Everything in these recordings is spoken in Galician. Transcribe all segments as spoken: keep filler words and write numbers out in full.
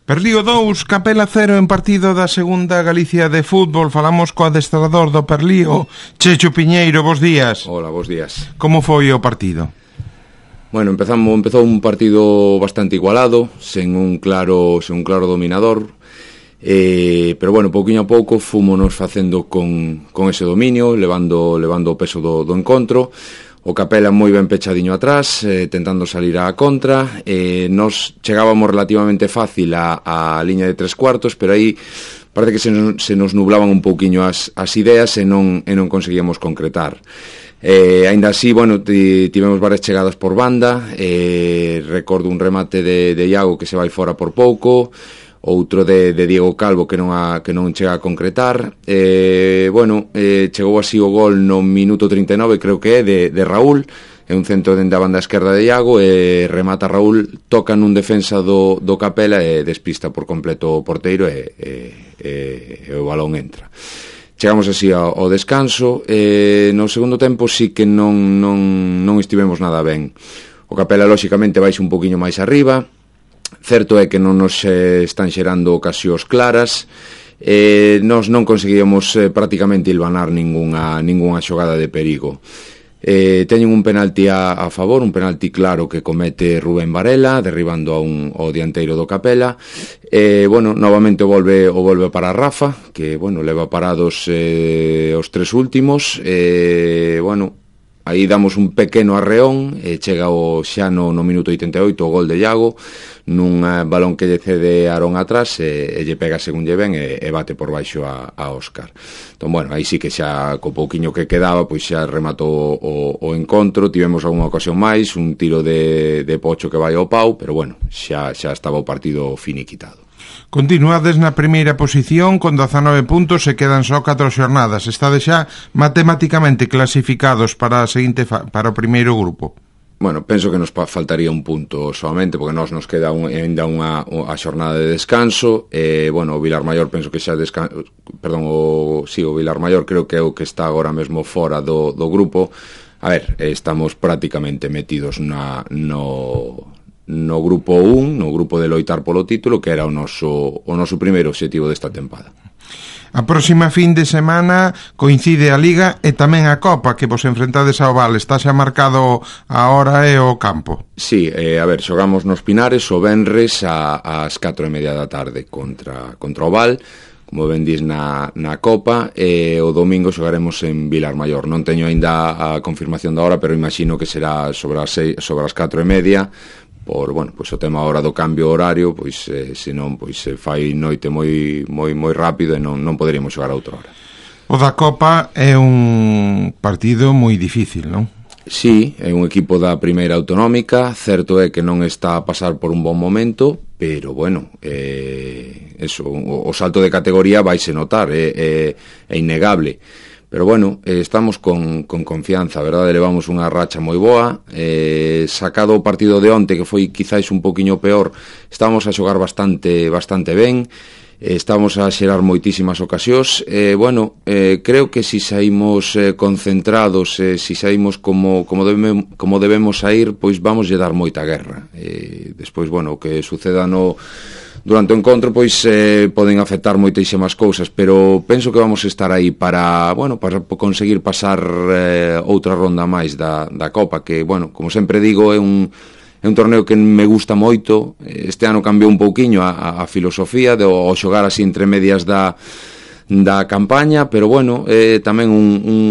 Perlío dous, Capela cero en partido da segunda Galicia de fútbol. Falamos co adestrador do Perlío, Checho Piñeiro, bos días. Hola, bos días. Como foi o partido? Bueno, empezamos, empezou un partido bastante igualado, sen un claro, sen un claro dominador, eh, pero bueno, pouquinho a pouco fúmonos facendo con, con ese dominio, levando, levando o peso do, do encontro. O Capela moi ben pechadiño atrás, eh, tentando salir á contra. Eh, nos chegábamos relativamente fácil á, á liña de tres cuartos, pero aí parece que se nos, se nos nublaban un pouquiño as, as ideas e non, e non conseguíamos concretar. Eh, ainda así, bueno, tivemos varias chegadas por banda. Eh, recordo un remate de, de Iago que se vai fora por pouco, outro de, de Diego Calvo que non, a, que non chega a concretar. Eh, bueno, eh, chegou así o gol no minuto trinta e nove, creo que é, de, de Raúl, é un centro dende a banda esquerda de Iago, e remata Raúl, toca nun defensa do, do Capela e despista por completo o porteiro e, e, e, e o balón entra. Chegamos así ao, ao descanso. Eh, no segundo tempo sí que non, non, non estivemos nada ben. O Capela, lóxicamente, baixe un poquinho máis arriba. Certo é que non nos eh, están xerando ocasións claras. Eh, nos non conseguíamos eh, prácticamente hilvanar ningunha, ningunha xogada de perigo. Eh, teñen un penalti a, a favor, un penalti claro que comete Rubén Varela, derribando a un, ao dianteiro do Capela. Eh, bueno, novamente o volve, o volve para Rafa, que, bueno, leva parados eh, os tres últimos. Eh, bueno, aí damos un pequeno arreón, e chega o xa no, no minuto oitenta e oito o gol de Iago, nun uh, balón que lle cede Aarón atrás, e, e lle pega según lle ven e, e bate por baixo a, a Óscar. Entón, bueno, aí sí que xa co pouquiño que quedaba, pois xa rematou o, o encontro. Tivemos algunha ocasión máis, un tiro de, de Pocho que vai ao pau, pero bueno, xa, xa estaba o partido finiquitado. Continuades na primeira posición con dezanove puntos e quedan só catro xornadas. Estades xa matematicamente clasificados para a seguinte fa- para o primeiro grupo. Bueno, penso que nos faltaría un punto solamente, porque nós nos queda un, ainda unha a xornada de descanso. E, bueno, o Vilarmaior penso que xa descan... Perdón, o, sí, o Vilarmaior creo que é o que está agora mesmo fora do, do grupo. A ver, estamos prácticamente metidos na, no, no grupo un, no grupo de loitar polo título, que era o noso, o noso primeiro obxectivo desta tempada. A próxima fin de semana coincide a Liga e tamén a Copa, que vos enfrentades ao Val. Está xa marcado a hora e o campo. Sí, eh, a ver, xogamos nos Pinares o venres a, ás catro e media da tarde contra, contra o Val, como ben dis na, na Copa, e o domingo xogaremos en Vilarmaior. Non teño aínda a confirmación da hora, pero imagino que será sobre as, seis, sobre as catro e media, por, bueno, pois o tema ahora do cambio horario, pois eh, senón pois se fai noite moi moi moi rápido e non non poderíamos xogar a outra hora. O da Copa é un partido moi difícil, non? Sí, é un equipo da primeira autonómica, certo é que non está a pasar por un bon momento, pero bueno, eh, eso, o, o salto de categoría vaise notar, é, é, é innegable. Pero bueno, eh, estamos con, con confianza, verdade? Levamos unha racha moi boa, eh, sacado o partido de onte, que foi quizáis un poquinho peor, estamos a xogar bastante bastante ben, eh, estamos a xerar moitísimas ocasións, eh, bueno, eh, creo que si saímos eh, concentrados, eh, si saímos como, como, debemos, como debemos sair, pois vamos lle dar moita guerra. Eh, despois, bueno, o que suceda no... Durante o encontro, pois, eh, poden afectar moitísimas cousas, pero penso que vamos estar aí para, bueno, para conseguir pasar eh, outra ronda máis da, da Copa, que, bueno, como sempre digo, é un, é un torneo que me gusta moito. Este ano cambiou un pouquiño a, a filosofía de o xogar así entre medias da da campaña, pero bueno, eh, tamén un, un,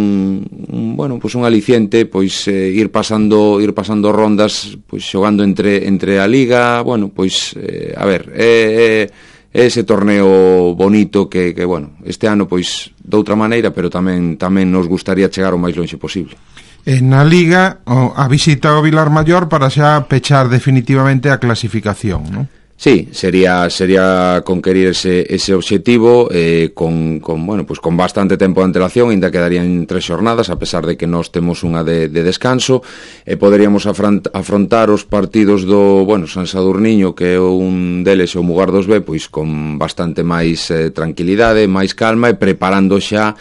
un bueno, pois un aliciente, pois eh, ir pasando ir pasando rondas, pois xogando entre entre a liga, bueno, pois eh, a ver, é eh, eh, ese torneo bonito que que bueno, este ano pois de outra maneira, pero tamén tamén nos gustaría chegar o máis lonxe posible. Na Liga, a visita ao Vilarmaior para xa pechar definitivamente a clasificación, non? Sí, sería sería conquerir ese ese obxectivo eh, con con bueno, pues con bastante tempo de antelación, ainda quedarían tres xornadas, a pesar de que nós temos unha de, de descanso, e poderíamos afront, afrontar os partidos do, bueno, San Sadurniño, que é un deles, o Mugardos B, pois con bastante máis eh, tranquilidade, máis calma, e preparando xa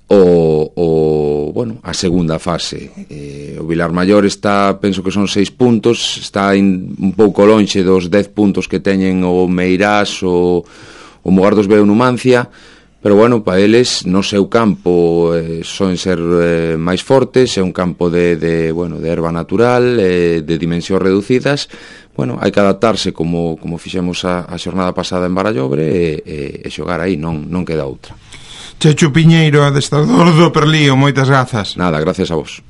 o, o bueno, a segunda fase. Eh, o Vilar Maior está, penso que son seis puntos, está in, un pouco lonxe dos dez puntos que teñen o Meirás, o, o Mugar dos Veo Numancia, pero bueno, para eles no seu campo eh, son ser eh, máis fortes, é un campo de, de, bueno, de erva natural, eh, de dimensións reducidas. Bueno, hai que adaptarse como, como fixemos a, a xornada pasada en Barallobre e, e, e xogar aí, non, non queda outra. Chechu Piñeiro, adestrador do Perlío, moitas grazas. Nada, gracias a vos.